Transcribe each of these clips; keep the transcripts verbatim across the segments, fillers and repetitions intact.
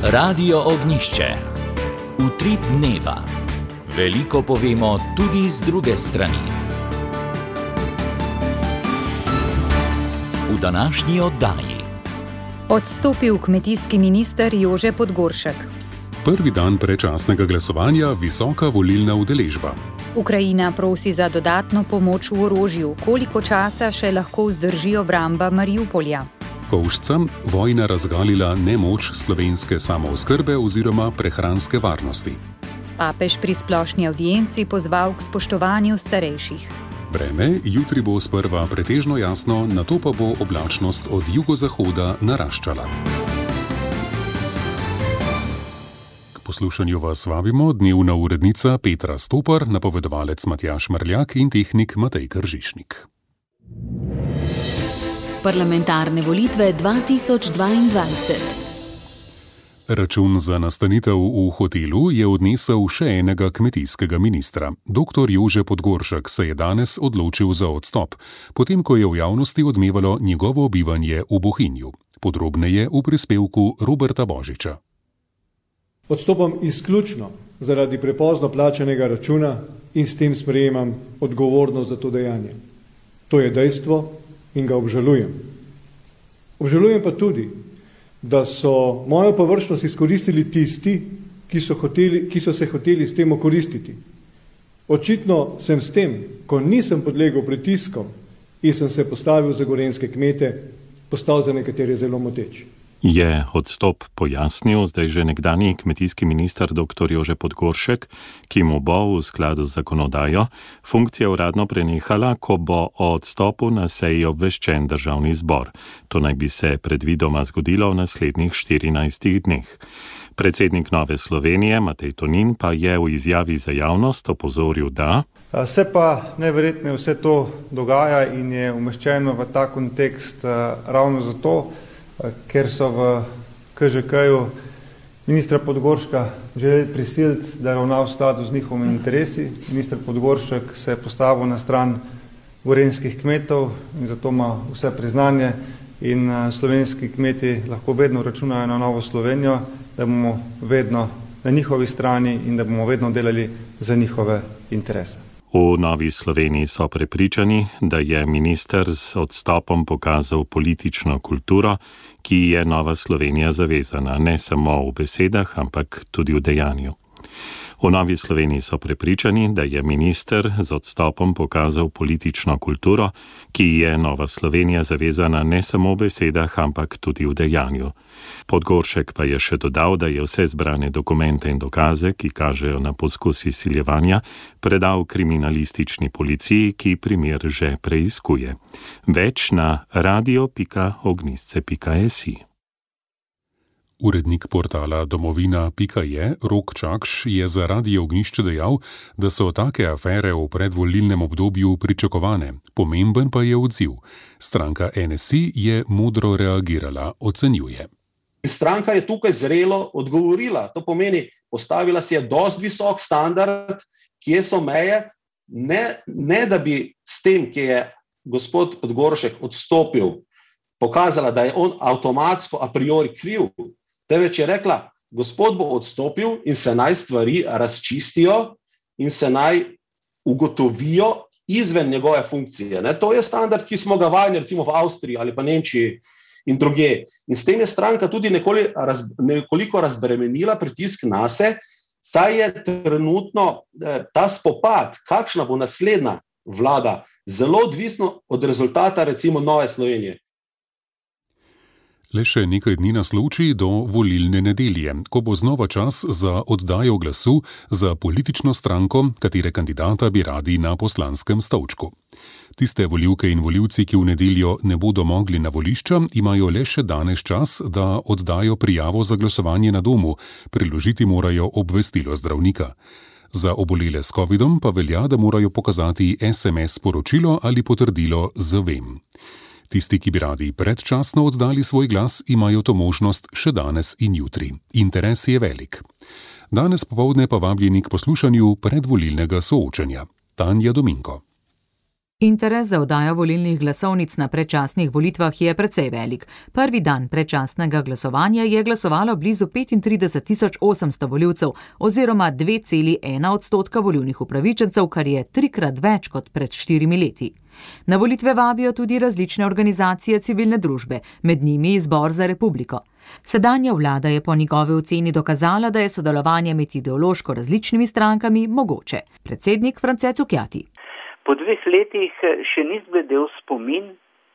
Radio Ognjišče. Utrip dneva. Veliko povemo tudi z druge strani. V današnji oddaji. Odstopil kmetijski minister Jože Podgoršek. Prvi dan predčasnega glasovanja, visoka volilna udeležba. Ukrajina prosi za dodatno pomoč v orožju. Koliko časa še lahko vzdrži obramba Mariupolja? Kovšcem vojna razgalila nemoč slovenske samooskrbe oziroma prehranske varnosti. Papež pri splošni avdienci pozval k spoštovanju starejših. Vreme jutri bo sprva pretežno jasno, nato pa bo oblačnost od jugozahoda naraščala. K poslušanju vas vabimo dnevna urednica Petra Stopar, napovedovalec Matjaž Mrljak in tehnik Matej Kržišnik. Parlamentarne volitve dva tisoč dvaindvajset. Račun za nastanitev v hotelu je odnesel še enega kmetijskega ministra. Doktor Jože Podgoršek se je danes odločil za odstop, potem ko je v javnosti odmevalo njegovo bivanje v Bohinju. Podrobneje v prispevku Roberta Božiča. Odstopam izključno zaradi prepozno plačanega računa in s tem sprejemam odgovornost za to dejanje. To je dejstvo in ga obžalujem. Obžalujem pa tudi, da so mojo površnost izkoristili tisti, ki so, hoteli, ki so se hoteli s tem okoristiti. Očitno sem s tem, ko nisem podlegel pritiskom in sem se postavil za gorenjske kmete, postal za nekatere zelo moteč. Je odstop pojasnil zdaj že nekdanji kmetijski minister doktor Jože Podgoršek, ki mu bo v skladu z zakonodajo funkcija uradno prenehala, ko bo o odstopu na seji obveščen državni zbor. To naj bi se predvidoma zgodilo v naslednjih štirinajstih dneh. Predsednik Nove Slovenije Matej Tonin pa je v izjavi za javnost opozoril, da se pa najverjetneje vse to dogaja in je umeščeno v ta kontekst ravno zato, ker so v K Ž K-ju ministra Podgorška želeli prisiliti, da ravna v skladu z njihovimi interesi. Minister Podgoršek se je postavil na stran gorenjskih kmetov in zato ima vse priznanje in slovenski kmeti lahko vedno računajo na Novo Slovenijo, da bomo vedno na njihovi strani in da bomo vedno delali za njihove interese. V Novi Sloveniji so prepričani, da je minister z odstopom pokazal politično kulturo, ki je Nova Slovenija zavezana, ne samo v besedah, ampak tudi v dejanju. V Novi Sloveniji so prepričani, da je minister z odstopom pokazal politično kulturo, ki je Nova Slovenija zavezana ne samo v besedah, ampak tudi v dejanju. Podgoršek pa je še dodal, da je vse zbrane dokumente in dokaze, ki kažejo na poskus izsiljevanja, predal kriminalistični policiji, ki primer že preiskuje. Več na radio pika ognjišče pika si. Urednik portala domovina pika je, Rok Čakš, je za Radio Ognjišče dejal, da so take afere v predvolilnem obdobju pričakovane. Pomemben pa je odziv. Stranka N S I je modro reagirala, ocenjuje. Stranka je tukaj zrelo odgovorila. To pomeni, postavila si je dosti visok standard, kje so meje, ne, ne da bi s tem, ki je gospod Podgoršek odstopil, pokazala, da je on avtomatsko a priori kriv, teveč je rekla, gospod bo odstopil in se naj stvari razčistijo in se naj ugotovijo izven njegove funkcije. Ne? To je standard, ki smo ga vajeni recimo v Avstriji ali pa Nemčiji in druge. In s tem je stranka tudi nekoli, raz, nekoliko razbremenila pritisk nase, saj je trenutno eh, ta spopad, kakšna bo naslednja vlada, zelo odvisno od rezultata recimo Nove Slovenije. Le še nekaj dni nas loči do volilne nedelje, ko bo znova čas za oddajo glasu za politično stranko, katere kandidata bi radi na poslanskem stolčku. Tiste volivke in volivci, ki v nedeljo ne bodo mogli na volišča, imajo le še danes čas, da oddajo prijavo za glasovanje na domu, priložiti morajo obvestilo zdravnika. Za obolele s covidom pa velja, da morajo pokazati es em es sporočilo ali potrdilo z vem. Tisti, ki bi radi predčasno oddali svoj glas, imajo to možnost še danes in jutri. Interes je velik. Danes popoldne pa vabljeni k poslušanju predvolilnega soočenja. Tanja Dominko. Interes za oddajo volilnih glasovnic na predčasnih volitvah je precej velik. Prvi dan predčasnega glasovanja je glasovalo blizu petintrideset tisoč osemsto volivcev oziroma dve celi ena odstotka volilnih upravičencev, kar je trikrat več kot pred štirimi leti. Na volitve vabijo tudi različne organizacije civilne družbe, med njimi Zbor za republiko. Sedanja vlada je po njegovi oceni dokazala, da je sodelovanje med ideološko različnimi strankami mogoče. Predsednik France Cukjati. Po dveh letih še ni zbledel spomin,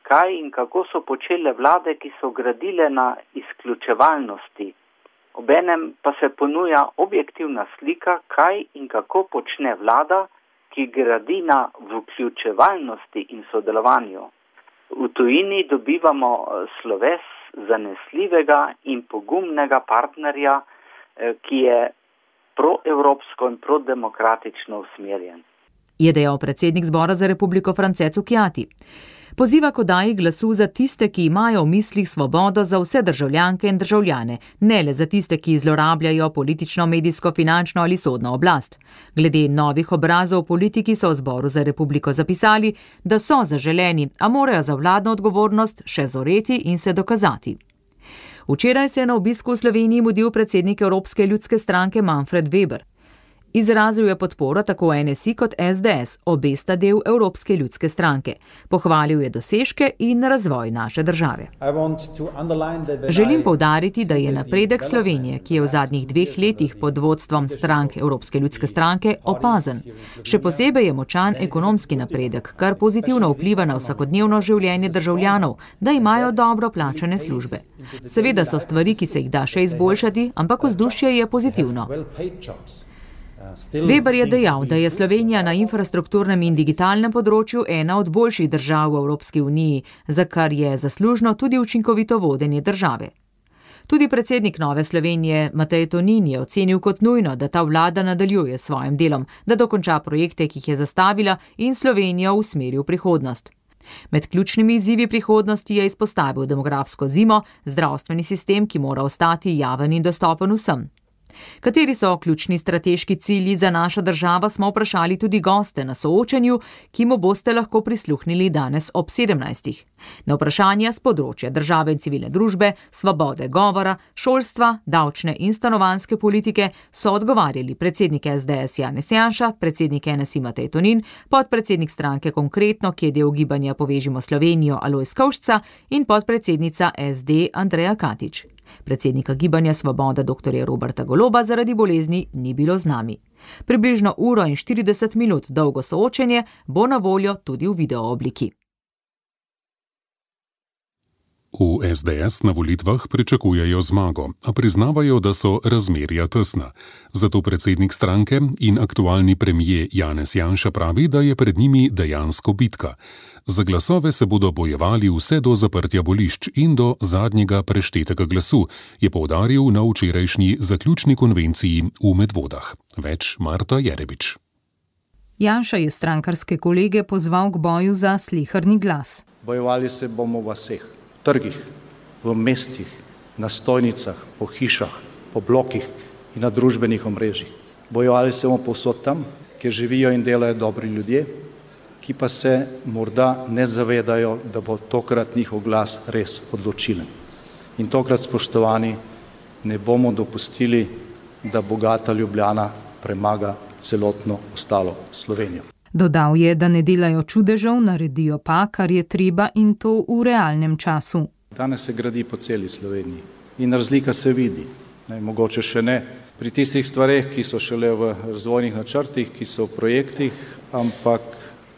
kaj in kako so počele vlade, ki so gradile na izključevalnosti. Obenem pa se ponuja objektivna slika, kaj in kako počne vlada, ki gradi na vključevalnosti in sodelovanju. V tujini dobivamo sloves zanesljivega in pogumnega partnerja, ki je proevropsko in prodemokratično usmerjen. Je dejal predsednik Zbora za republiko France Cukjati. Poziva k oddaji glasu za tiste, ki imajo v mislih svobodo za vse državljanke in državljane, ne le za tiste, ki zlorabljajo politično, medijsko, finančno ali sodno oblast. Glede novih obrazov v politiki so v Zboru za republiko zapisali, da so zaželeni, a morajo za vladno odgovornost še zoreti in se dokazati. Včeraj se je na obisku v Sloveniji mudil predsednik Evropske ljudske stranke Manfred Weber. Izrazil je podporo tako N S I kot S D S, obe sta del Evropske ljudske stranke. Pohvalil je dosežke in razvoj naše države. Želim poudariti, da je napredek Slovenije, ki je v zadnjih dveh letih pod vodstvom strank Evropske ljudske stranke, opazen. Še posebej je močan ekonomski napredek, kar pozitivno vpliva na vsakodnevno življenje državljanov, da imajo dobro plačane službe. Seveda so stvari, ki se jih da še izboljšati, ampak vzdušje je pozitivno. Weber je dejal, da je Slovenija na infrastrukturnem in digitalnem področju ena od boljših držav v Evropski uniji, za kar je zaslužno tudi učinkovito vodenje države. Tudi predsednik Nove Slovenije Matej Tonin je ocenil kot nujno, da ta vlada nadaljuje s svojim delom, da dokonča projekte, ki jih je zastavila in Slovenijo usmeri v prihodnost. Med ključnimi izzivi prihodnosti je izpostavil demografsko zimo, zdravstveni sistem, ki mora ostati javen in dostopen vsem. Kateri so ključni strateški cilji za našo državo, smo vprašali tudi goste na soočenju, ki mu boste lahko prisluhnili danes ob sedemnajstih. Na vprašanja z področja države in civilne družbe, svobode govora, šolstva, davčne in stanovanjske politike so odgovarjali predsednik S D S Janez Janša, predsednik N S I Matej Tonin, podpredsednik stranke Konkretno, ki je del gibanja Povežimo Slovenijo Alojz Kovšca in podpredsednica S D Andreja Katič. Predsednika gibanja Svoboda doktorja Roberta Goloba zaradi bolezni ni bilo z nami. Približno uro in štirideset minut dolgo soočenje bo na voljo tudi v video obliki. V S D S na volitvah pričakujejo zmago, a priznavajo, da so razmerja tesna. Zato predsednik stranke in aktualni premier Janez Janša pravi, da je pred njimi dejansko bitka. Za glasove se bodo bojevali vse do zaprtja volišč in do zadnjega preštetega glasu, je poudaril na včerajšnji zaključni konvenciji v Medvodah. Več Marta Jerebič. Janša je strankarske kolege pozval k boju za sleherni glas. Bojevali se bomo v vseh trgih, v mestih, na stojnicah, po hišah, po blokih in na družbenih omrežjih. Bojevali se bomo povsod tam, kjer živijo in delajo dobri ljudje, ki pa se morda ne zavedajo, da bo tokrat njihov glas res odločilen. In tokrat, spoštovani, ne bomo dopustili, da bogata Ljubljana premaga celotno ostalo Slovenijo. Dodal je, da ne delajo čudežev, naredijo pa, kar je treba in to v realnem času. Danes se gradi po celi Sloveniji in razlika se vidi. Ne, mogoče še ne pri tistih stvareh, ki so šele v razvojnih načrtih, ki so v projektih, ampak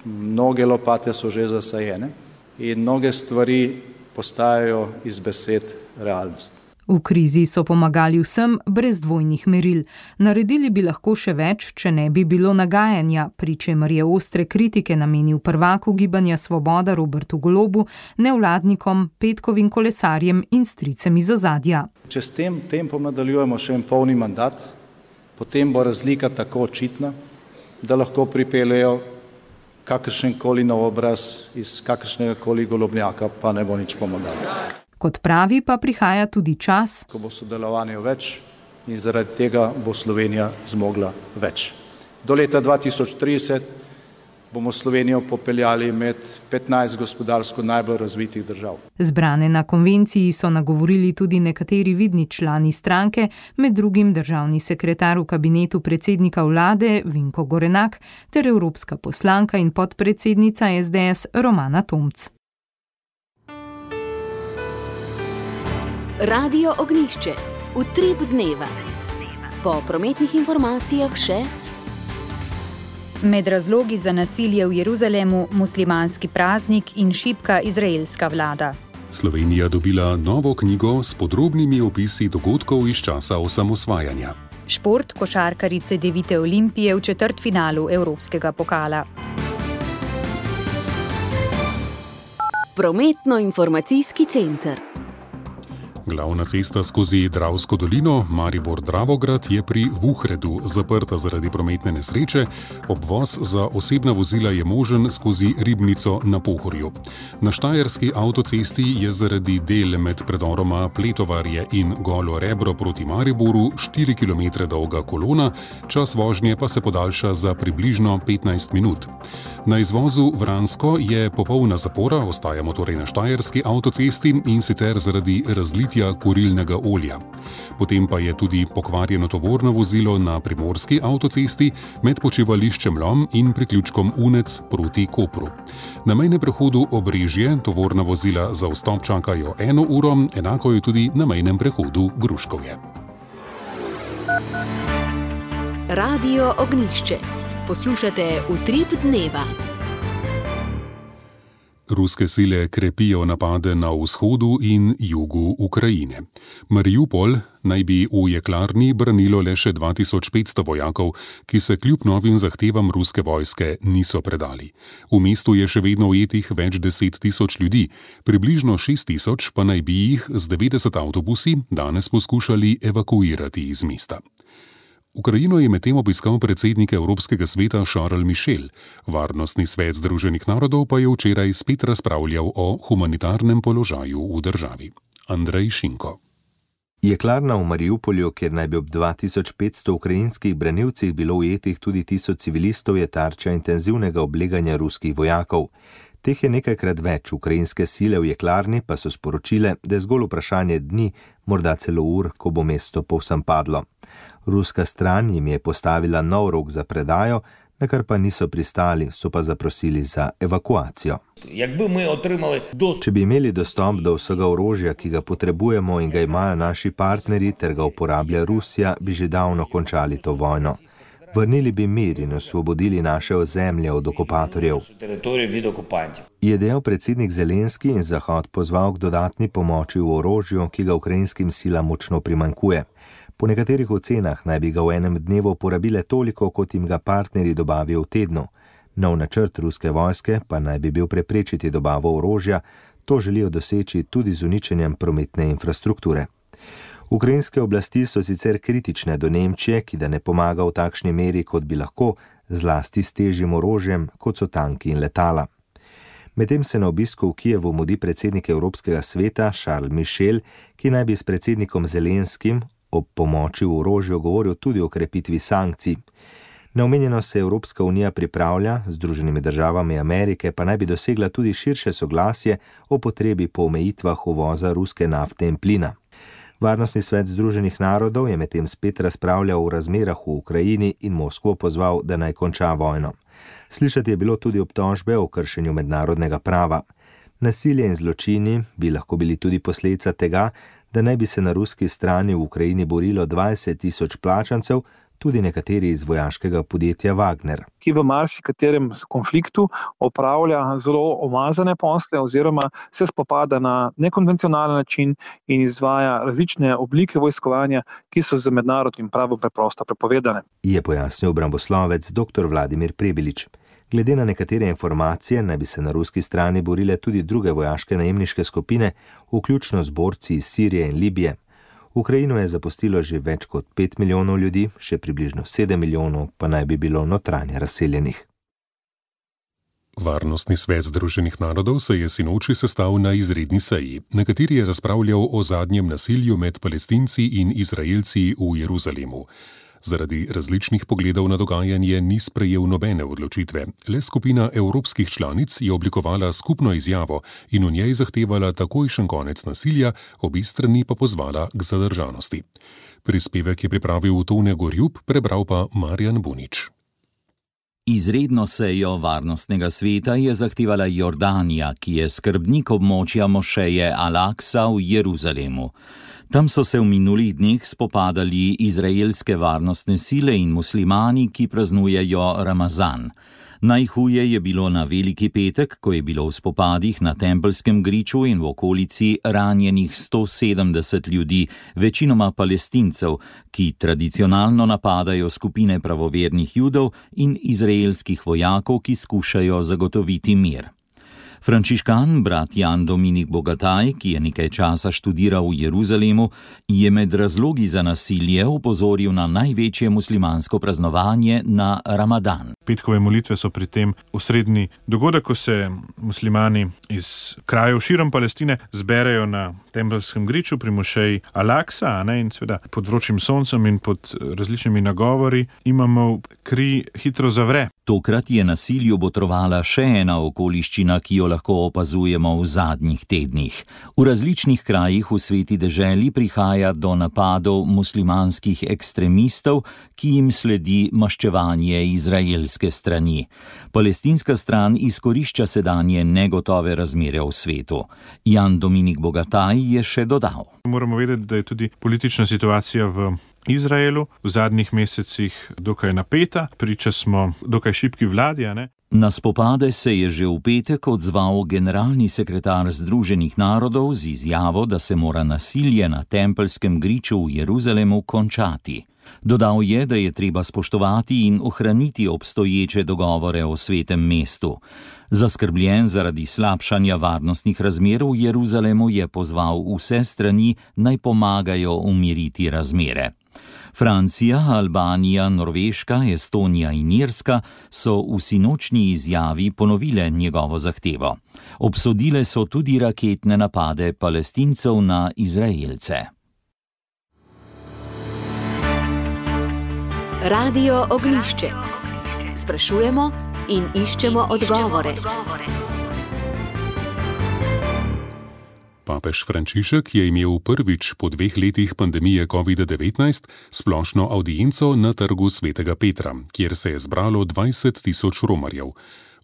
mnoge lopate so že zasajene in mnoge stvari postajajo iz besed realnost. V krizi so pomagali vsem brez dvojnih meril. Naredili bi lahko še več, če ne bi bilo nagajanja, pri čemer je ostre kritike namenil prvaku gibanja Svoboda Robertu Golobu, nevladnikom, petkovim kolesarjem in stricem iz ozadja. Če s tem tempom nadaljujemo še en polni mandat, potem bo razlika tako očitna, da lahko pripeljejo kakršenkoli nov obraz iz kakršnega koli golobnjaka, pa ne bo nič pomagalo. Kot pravi, pa prihaja tudi čas, ko bo sodelovanja več in zaradi tega bo Slovenija zmogla več. Do leta dva tisoč trideset bomo Slovenijo popeljali med petnajst gospodarsko najbolj razvitih držav. Zbrane na konvenciji so nagovorili tudi nekateri vidni člani stranke, med drugim državni sekretar v kabinetu predsednika vlade Vinko Gorenak ter evropska poslanka in podpredsednica es de es Romana Tomc. Radio Ognjišče. Utrip dneva. Po prometnih informacijah še med razlogi za nasilje v Jeruzalemu muslimanski praznik in šibka izraelska vlada. Slovenija dobila novo knjigo s podrobnimi opisi dogodkov iz časa osamosvajanja. Šport košarkarice devite Olimpije v četrtfinalu Evropskega pokala. Prometno-informacijski center. Glavna cesta skozi Dravsko dolino Maribor-Dravograd je pri Vuhredu zaprta zaradi prometne nesreče, obvoz za osebna vozila je možen skozi Ribnico na Pohorju. Na štajerski avtocesti je zaradi del med predoroma Pletovarje in Golo Rebro proti Mariboru štiri kilometre dolga kolona, čas vožnje pa se podaljša za približno petnajst minut. Na izvozu Vransko je popolna zapora, ostajamo torej na štajerski avtocesti in sicer zaradi razlitja kurilnega olja. Potem pa je tudi pokvarjeno tovorno vozilo na primorski avtocesti med počivališčem Lom in priključkom Unec proti Kopru. Na mejnem prehodu Obrežje tovorna vozila za vstop čakajo eno uro, enako je tudi na mejnem prehodu Gruškovje. Radio Ognjišče. Poslušate Utrip dneva. Ruske sile krepijo napade na vzhodu in jugu Ukrajine. Mariupol naj bi v jeklarni branilo le še dva tisoč petsto vojakov, ki se kljub novim zahtevam ruske vojske niso predali. V mestu je še vedno ujetih več deset tisoč ljudi, približno šest tisoč pa naj bi jih z devetdeset avtobusi danes poskušali evakuirati iz mesta. Ukrajino je medtem obiskal predsednik Evropskega sveta Charles Michel. Varnostni svet Združenih narodov pa je včeraj spet razpravljal o humanitarnem položaju v državi. Andrej Šinko. Jeklarna v Mariupolju, kjer naj bi ob dva tisoč petsto ukrajinskih branilcih bilo ujetih tudi tisoč civilistov, je tarča intenzivnega obleganja ruskih vojakov. Teh je nekajkrat več, ukrajinske sile v jeklarni pa so sporočile, da je zgolj vprašanje dni, morda celo ur, ko bo mesto povsem padlo. Ruska stran jim je postavila nov rok za predajo, na kar pa niso pristali, so pa zaprosili za evakuacijo. Če bi imeli dostop do vsega orožja, ki ga potrebujemo in ga imajo naši partnerji ter ga uporablja Rusija, bi že davno končali to vojno. Vrnili bi mir in osvobodili naše ozemlje od okupatorjev. Je dejal predsednik Zelenski in Zahod pozval k dodatni pomoči v orožju, ki ga ukrajinskim silam močno primanjkuje. Po nekaterih ocenah naj bi ga v enem dnevu porabile toliko, kot jim ga partnerji dobavijo v tednu. Nov načrt ruske vojske pa naj bi bil preprečiti dobavo orožja, to želijo doseči tudi z uničenjem prometne infrastrukture. Ukrajinske oblasti so sicer kritične do Nemčije, ki da ne pomaga v takšni meri, kot bi lahko, zlasti s težjim orožjem, kot so tanki in letala. Medtem se na obisku v Kijevu mudi predsednik Evropskega sveta Charles Michel, ki naj bi s predsednikom Zelenskim ob pomoči v orožju govoril tudi o krepitvi sankcij. Neomenjeno se Evropska unija pripravlja, z Združenimi državami Amerike pa naj bi dosegla tudi širše soglasje o potrebi po omejitvah uvoza ruske nafte in plina. Varnostni svet Združenih narodov je medtem spet razpravljal o razmerah v Ukrajini in Moskvo pozval, da naj konča vojno. Slišati je bilo tudi obtožbe o kršenju mednarodnega prava. Nasilje in zločini bi lahko bili tudi posledica tega, da naj bi se na ruski strani v Ukrajini borilo dvajset tisoč plačancev, tudi nekateri iz vojaškega podjetja Wagner. Ki v marsikaterem konfliktu opravlja zelo umazane posle oziroma se spopada na nekonvencionalen način in izvaja različne oblike vojskovanja, ki so z mednarodnim pravom preprosto prepovedane. Je pojasnil obramboslovec dr. Vladimir Prebilič. Glede na nekatere informacije naj bi se na ruski strani borile tudi druge vojaške najemniške skupine, vključno z borci iz Sirije in Libije. Ukrajino je zapustilo že več kot pet milijonov ljudi, še približno sedem milijonov pa naj bi bilo notranje razseljenih. Varnostni svet Združenih narodov se je sinoči sestal na izredni seji, na kateri je razpravljal o zadnjem nasilju med Palestinci in Izraelci v Jeruzalemu. Zaradi različnih pogledov na dogajanje ni sprejel nobene odločitve. Le skupina evropskih članic je oblikovala skupno izjavo in v njej zahtevala takojšen konec nasilja, obi strani pa pozvala k zadržanosti. Prispevek je pripravil Tone Gorjup, prebral pa Marjan Bunič. Izredno sejo Varnostnega sveta je zahtevala Jordanija, ki je skrbnik območja mošeje Al-Aksa v Jeruzalemu. Tam so se v minulih dneh spopadali izraelske varnostne sile in muslimani, ki praznujejo Ramazan. Najhuje je bilo na Veliki petek, ko je bilo v spopadih na Tempelskem griču in v okolici ranjenih sto sedemdeset ljudi, večinoma Palestincev, ki tradicionalno napadajo skupine pravovernih Judov in izraelskih vojakov, ki skušajo zagotoviti mir. Frančiškan, brat Jan Dominik Bogataj, ki je nekaj časa študiral v Jeruzalemu, je med razlogi za nasilje opozoril na največje muslimansko praznovanje na Ramadan. Petkove molitve so pri tem osrednji dogodek, ko se muslimani iz krajev širom Palestine zberejo na Tempelskem griču pri mošeji Al-Aksa, ne, in seveda pod vročim soncem in pod različnimi nagovori imamo kri hitro zavre. Tokrat je nasilju botrovala še ena okoliščina, ki jo lahko opazujemo v zadnjih tednih. V različnih krajih v sveti deželi prihaja do napadov muslimanskih ekstremistov, ki jim sledi maščevanje izraelske strani. Palestinska stran izkorišča sedanje negotove razmere v svetu. Jan Dominik Bogataj je še dodal. Moramo vedeti, da je tudi politična situacija v Izraelu v zadnjih mesecih dokaj napeta, priča smo dokaj šibki vladi, a ne? Na spopade se je že v petek odzval generalni sekretar Združenih narodov z izjavo, da se mora nasilje na Tempelskem griču v Jeruzalemu končati. Dodal je, da je treba spoštovati in ohraniti obstoječe dogovore o svetem mestu. Zaskrbljen zaradi slabšanja varnostnih razmer v Jeruzalemu je pozval vse strani, naj pomagajo umiriti razmere. Francija, Albanija, Norveška, Estonija in Irska so v sinočnji izjavi ponovile njegovo zahtevo. Obsodile so tudi raketne napade Palestincev na Izraelce. Radio Ognjišče. Sprašujemo in iščemo odgovore. Papež Frančišek je imel prvič po dveh letih pandemije covid devetnajst splošno avdienco na trgu Svetega Petra, kjer se je zbralo dvajset tisoč romarjev.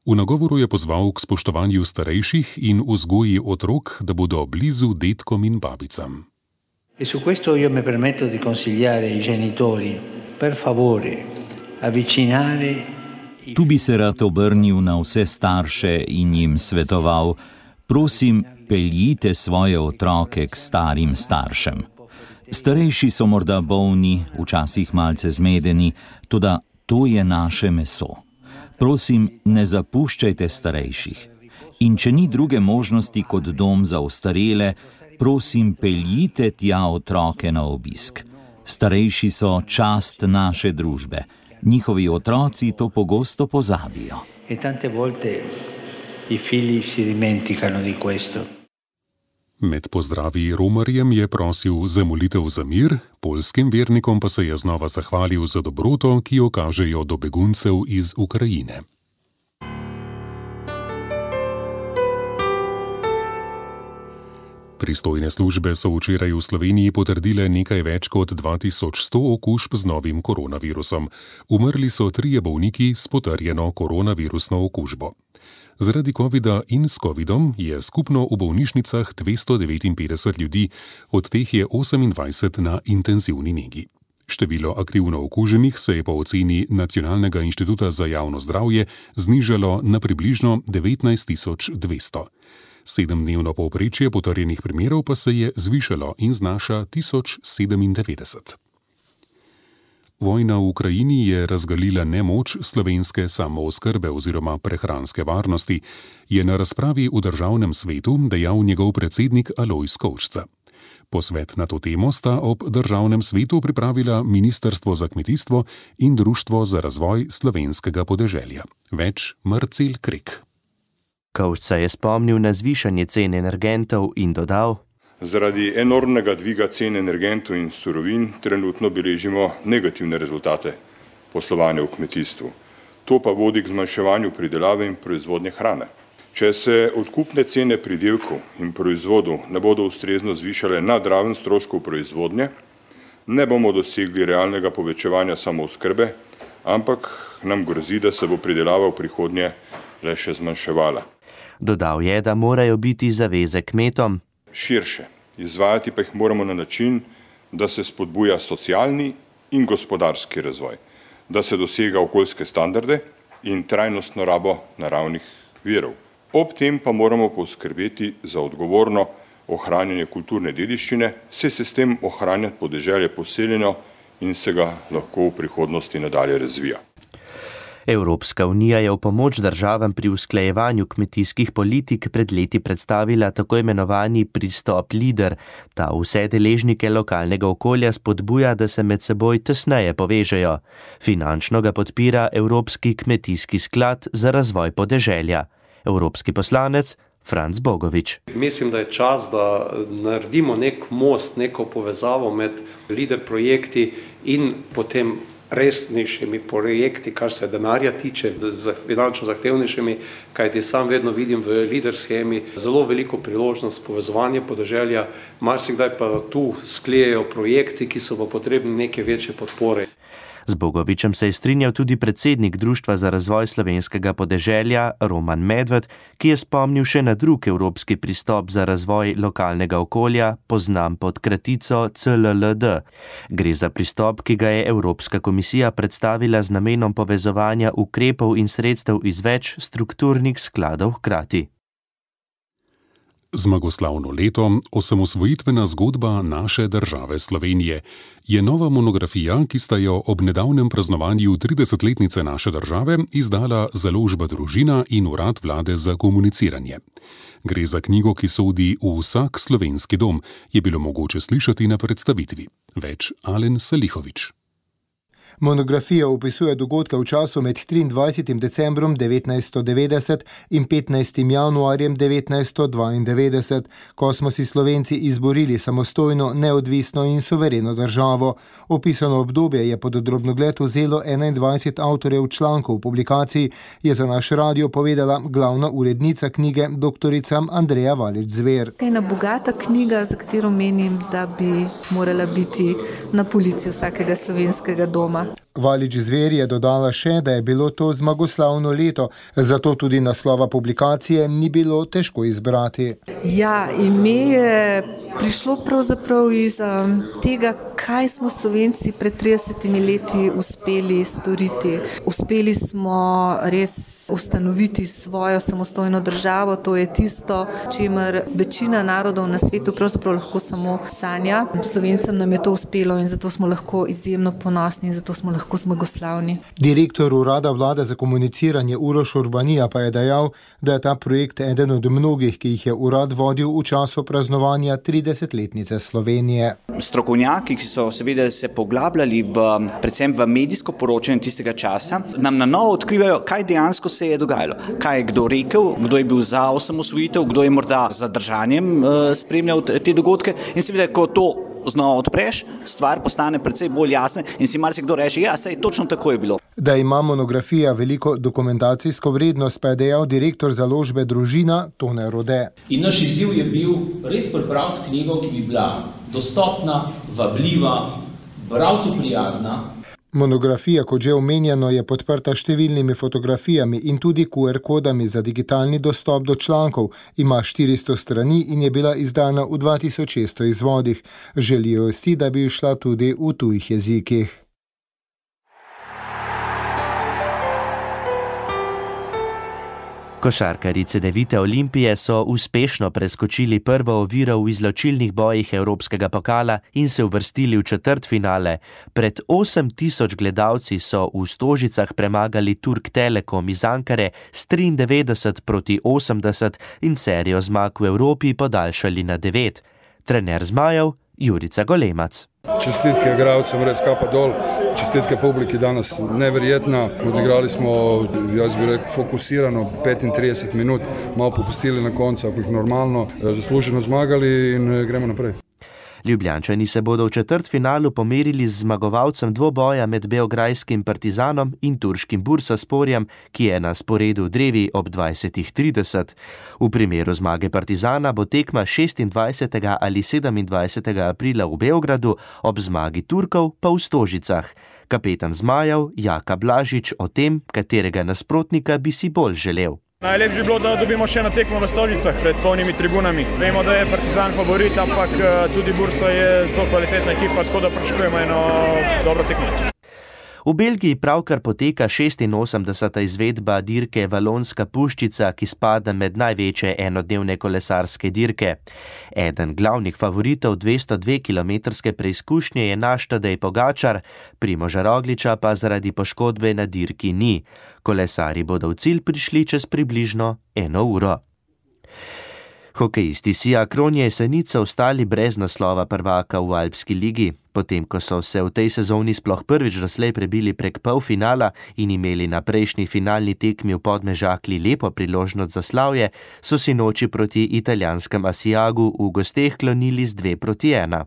V nagovoru je pozval k spoštovanju starejših in vzgoji otrok, da bodo blizu dedkom in babicam. E su questo io mi permetto di consigliare ai genitori, per favore, avvicinare. Tu bi se rad obrnil na vse starše in jim svetoval: prosim, peljite svoje otroke k starim staršem. Starejši so morda bolni, včasih malce zmedeni, toda to je naše meso. Prosim, ne zapuščajte starejših. In če ni druge možnosti kot dom za ostarele, prosim, peljite tja otroke na obisk. Starejši so čast naše družbe. Njihovi otroci to pogosto pozabijo. E tante volte i figli si dimenticano di questo. Med pozdravi romarjem je prosil za molitev za mir, poljskim vernikom pa se je znova zahvalil za dobroto, ki jo kažejo do beguncev iz Ukrajine. Pristojne službe so včeraj v Sloveniji potrdile nekaj več kot dva tisoč sto okužb z novim koronavirusom. Umrli so trije bolniki s potrjeno koronavirusno okužbo. Zaradi covida in s covidom je skupno v bolnišnicah dvesto devetinpetdeset ljudi, od teh je osemindvajset na intenzivni negi. Število aktivno okuženih se je po oceni Nacionalnega inštituta za javno zdravje znižalo na približno devetnajst tisoč dvesto. Sedemdnevno povprečje potrjenih primerov pa se je zvišalo in znaša tisoč sedemindevetdeset. Vojna v Ukrajini je razgalila nemoč slovenske samooskrbe oziroma prehranske varnosti, je na razpravi v Državnem svetu dejal njegov predsednik Alojz Kovšca. Posvet na to temo sta ob Državnem svetu pripravila Ministrstvo za kmetijstvo in Društvo za razvoj slovenskega podeželja. Več Marcel Krek. Kovšca je spomnil na zvišanje cen energentov in dodal: Zaradi enormnega dviga cen energentov in surovin trenutno beležimo negativne rezultate poslovanja v kmetijstvu. To pa vodi k zmanjševanju pridelave in proizvodnje hrane. Če se odkupne cene pridelkov in proizvodov ne bodo ustrezno zvišale nad raven stroškov proizvodnje, ne bomo dosegli realnega povečevanja samooskrbe, ampak nam grozi, da se bo pridelava v prihodnje le še zmanjševala. Dodal je, da morajo biti zaveze kmetom širše, izvajati pa jih moramo na način, da se spodbuja socialni in gospodarski razvoj, da se dosega okoljske standarde in trajnostno rabo naravnih virov. Ob tem pa moramo poskrbeti za odgovorno ohranjanje kulturne dediščine, saj se s tem ohranja podeželje poseljeno in se ga lahko v prihodnosti nadalje razvija. Evropska unija je v pomoč državam pri usklajevanju kmetijskih politik pred leti predstavila tako imenovani pristop LEADER. Ta vse deležnike lokalnega okolja spodbuja, da se med seboj tesneje povežejo. Finančno ga podpira Evropski kmetijski sklad za razvoj podeželja. Evropski poslanec Franc Bogovič. Mislim, da je čas, da naredimo nek most, neko povezavo med LEADER projekti in potem resnejšimi projekti, kar se denarja tiče, z finančno zahtevnejšimi, kajti sam vedno vidim v LEADER schemi zelo veliko priložnost povezovanja podeželja, marsikdaj pa tu sklejejo projekti, ki so pa potrebni neke večje podpore. Z Bogovičem se je strinjal tudi predsednik Društva za razvoj slovenskega podeželja Roman Medved, ki je spomnil še na drug evropski pristop za razvoj lokalnega okolja, poznan pod kratico C L L D. Gre za pristop, ki ga je Evropska komisija predstavila z namenom povezovanja ukrepov in sredstev iz več strukturnih skladov hkrati. Zmagoslavno leto, osamosvojitvena zgodba naše države Slovenije, je nova monografija, ki sta jo ob nedavnem praznovanju tridesetletnice naše države izdala Založba Družina in Urad vlade za komuniciranje. Gre za knjigo, ki sodi v vsak slovenski dom, je bilo mogoče slišati na predstavitvi. Več Alen Salihovič. Monografija opisuje dogodke v času med triindvajsetim decembrom devetnajststo devetdeset in petnajstim januarjem devetnajststo dvaindevetdeset, ko smo si Slovenci izborili samostojno, neodvisno in suvereno državo. Opisano obdobje je pod drobnogled vzelo enaindvajset avtorjev člankov. V publikaciji je za naš radio povedala glavna urednica knjige doktorica Andreja Valič-Zver. Ena bogata knjiga, za katero menim, da bi morala biti na polici vsakega slovenskega doma. Valič-Zver je dodala še, da je bilo to zmagoslavno leto, zato tudi naslova publikacije ni bilo težko izbrati. Ja, ime je prišlo pravzaprav iz um, tega, kaj smo Slovenci pred tridesetimi leti uspeli storiti. Uspeli smo res ustanoviti svojo samostojno državo, to je tisto, čemer večina narodov na svetu pravzaprav lahko samo sanja. Slovencem nam je to uspelo in zato smo lahko izjemno ponosni in zato smo lahko zmagoslavni. Direktor Urada vlade za komuniciranje Uroš Urbanija pa je dejal, da je ta projekt eden od mnogih, ki jih je urad vodil v času praznovanja tridesetletnice Slovenije. Strokovnjaki, ki so seveda se poglabljali v, predvsem v medijsko poročanje tistega časa, nam na novo odkrivajo, kaj dejansko se je dogajalo. Kaj je kdo rekel, kdo je bil za osamosvojitev, kdo je morda z zadržanjem uh, spremljal te dogodke in seveda, ko to znova odpreš, stvar postane precej bolj jasna in si marsikdo reče, ja, saj točno tako je bilo. Da ima monografija veliko dokumentacijsko vrednost, pa je dejal direktor Založbe Družina Tone Rode. In naš izziv je bil res pripraviti knjigo, ki bi bila dostopna, vabljiva, bralcu prijazna. Monografija, kot že omenjeno, je podprta številnimi fotografijami in tudi Q R kodami za digitalni dostop do člankov. Ima štiristo strani in je bila izdana v dva tisoč šeststo izvodih. Želijo si, da bi šla tudi v tujih jezikih. Košarkarji Cedevite Olimpije so uspešno preskočili prvo oviro v izločilnih bojih Evropskega pokala in se uvrstili v četrtfinale. Pred osem tisoč gledalci so v Stožicah premagali Turk Telekom iz Ankare s triindevetdeset proti osemdeset in serijo zmag v Evropi podaljšali na devet. Trener zmajev Jurica Golemac. Čestitke igralcem, res kapa dol, čestitke publiki danas neverjetna. Odigrali smo, jaz bi rekel, fokusirano petintrideset minut, malo popustili na koncu, ako jih normalno, zasluženo zmagali in gremo naprej. Ljubljančani se bodo v četrtfinalu pomerili z zmagovalcem dvoboja med beograjskim Partizanom in turškim Bursasporjem, ki je na sporedu v Drevi ob dvajsetih trideset. V primeru zmage Partizana bo tekma šestindvajsetega ali sedemindvajsetega aprila v Beogradu, ob zmagi Turkov pa v Stožicah. Kapetan zmajev Jaka Blažič o tem, katerega nasprotnika bi si bolj želel. Najlepše bi bilo, da dobimo še eno tekmo v Stožicah pred polnimi tribunami. Vemo, da je Partizan favorit, ampak tudi Bursa je zelo kvalitetna ekipa, tako da pričakujemo eno dobro tekmo. V Belgiji pravkar poteka šestinosemdeseta izvedba dirke Valonska puščica, ki spada med največje enodnevne kolesarske dirke. Eden glavnih favoritov dvesto dve kilometrske preizkušnje je naš Tadej Pogačar, Primoža Rogliča pa zaradi poškodbe na dirki ni. Kolesarji bodo v cilj prišli čez približno eno uro. Hokejisti Sija Kron Jesenice ostali brez naslova prvaka v Alpski ligi. Potem, ko so se v tej sezoni sploh prvič doslej prebili prek polfinala in imeli na prejšnji finalni tekmi v Podmežakli lepo priložnost za slavje, so si noči proti italijanskem Asiagu v gosteh klonili z dve proti ena.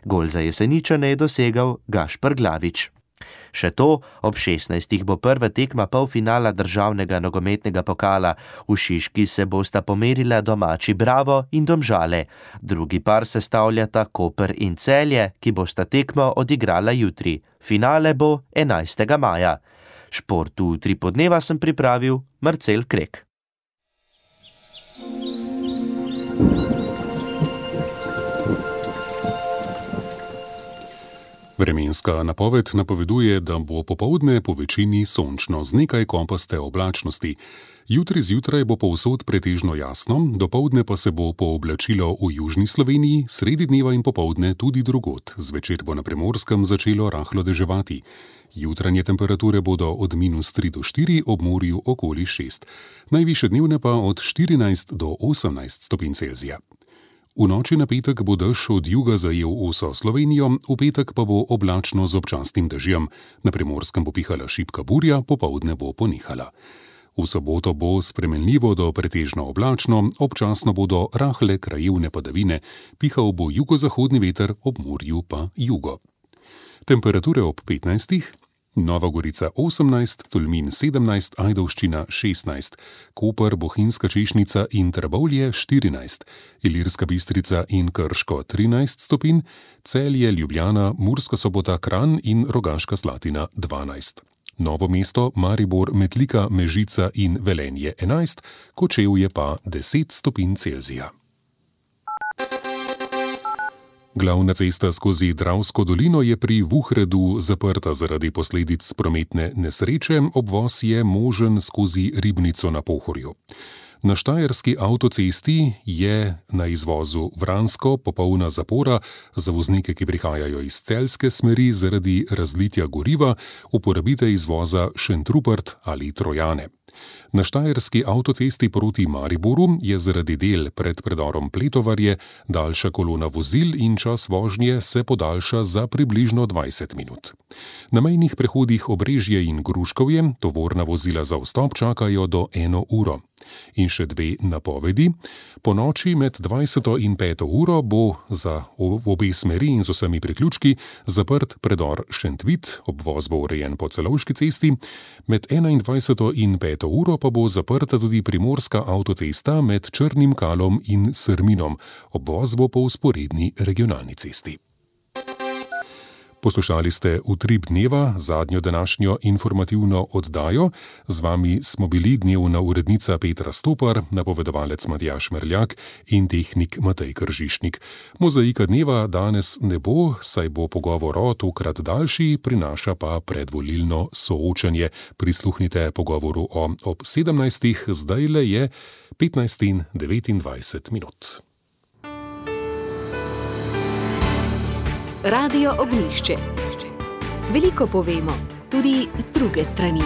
Gol za Jeseničane je dosegal Gašper Glavič. Še to, ob šestnajstih bo prva tekma polfinala državnega nogometnega pokala. V Šiški se bosta pomerila domači Bravo in Domžale. Drugi par sestavljata Koper in Celje, ki bosta tekmo odigrala jutri. Finale bo enajstega maja. Športu tri podneva sem pripravil Marcel Krek. Vremenska napoved napoveduje, da bo popoldne po večini sončno z nekaj kopaste oblačnosti. Jutri zjutraj bo povsod pretežno jasno, dopoldne pa se bo pooblačilo v južni Sloveniji, sredi dneva in popoldne tudi drugod. Zvečer bo na Primorskem začelo rahlo deževati. Jutranje temperature bodo od minus tri do štiri, ob morju okoli šest. Najvišje dnevne pa od štirinajst do osemnajst stopinj Celzija. V noči na petek bo dež od juga zajel vso Slovenijo, v petek pa bo oblačno z občasnim dežjem. Na Primorskem bo pihala šibka burja, popoldne bo ponehala. V soboto bo spremenljivo do pretežno oblačno, občasno bodo rahle krajevne padavine, pihal bo jugozahodni veter, ob morju pa jugo. Temperature ob petnajstih. Nova Gorica osemnajst, Tolmin sedemnajst, Ajdovščina šestnajst, Koper, Bohinjska Češnica in Trbovlje štirinajst, Ilirska Bistrica in Krško trinajst stopinj, Celje, Ljubljana, Murska Sobota, Kranj in Rogaška Slatina dvanajst. Novo mesto, Maribor, Metlika, Mežica in Velenje enajst, Kočevje pa deset stopinj Celzija. Glavna cesta skozi Dravsko dolino je pri Vuhredu zaprta zaradi posledic prometne nesreče, obvoz je možen skozi Ribnico na Pohorju. Na štajerski avtocesti je na izvozu Vransko popolna zapora za voznike, ki prihajajo iz celjske smeri zaradi razlitja goriva, uporabite izvoza Šentrupert ali Trojane. Na štajerski avtocesti proti Mariboru je zaradi del pred predorom Pletovarje daljša kolona vozil in čas vožnje se podaljša za približno dvajset minut. Na mejnih prehodih Obrežje in Gruškovje tovorna vozila za vstop čakajo do eno uro. In še dve napovedi. Po noči med dvajseto in peto uro bo za obe smeri in z vsemi priključki zaprt predor Šentvit, obvoz bo urejen po Celovški cesti, med enaindvajseto in peto uro pa bo zaprta tudi Primorska avtocesta med Črnim Kalom in Srminom, obvoz bo po vzporedni regionalni cesti. Poslušali ste Utrip dneva, zadnjo današnjo informativno oddajo. Z vami smo bili dnevna urednica Petra Stopar, napovedovalec Matjaž Merljak in tehnik Matej Kržišnik. Mozaika dneva danes ne bo, saj bo pogovor o tokrat daljši, prinaša pa predvolilno soočanje. Prisluhnite pogovoru o ob sedemnajstih, zdajle je petnajst in devetindvajset minut. Radio Ognjišče. Veliko povemo, tudi z druge strani.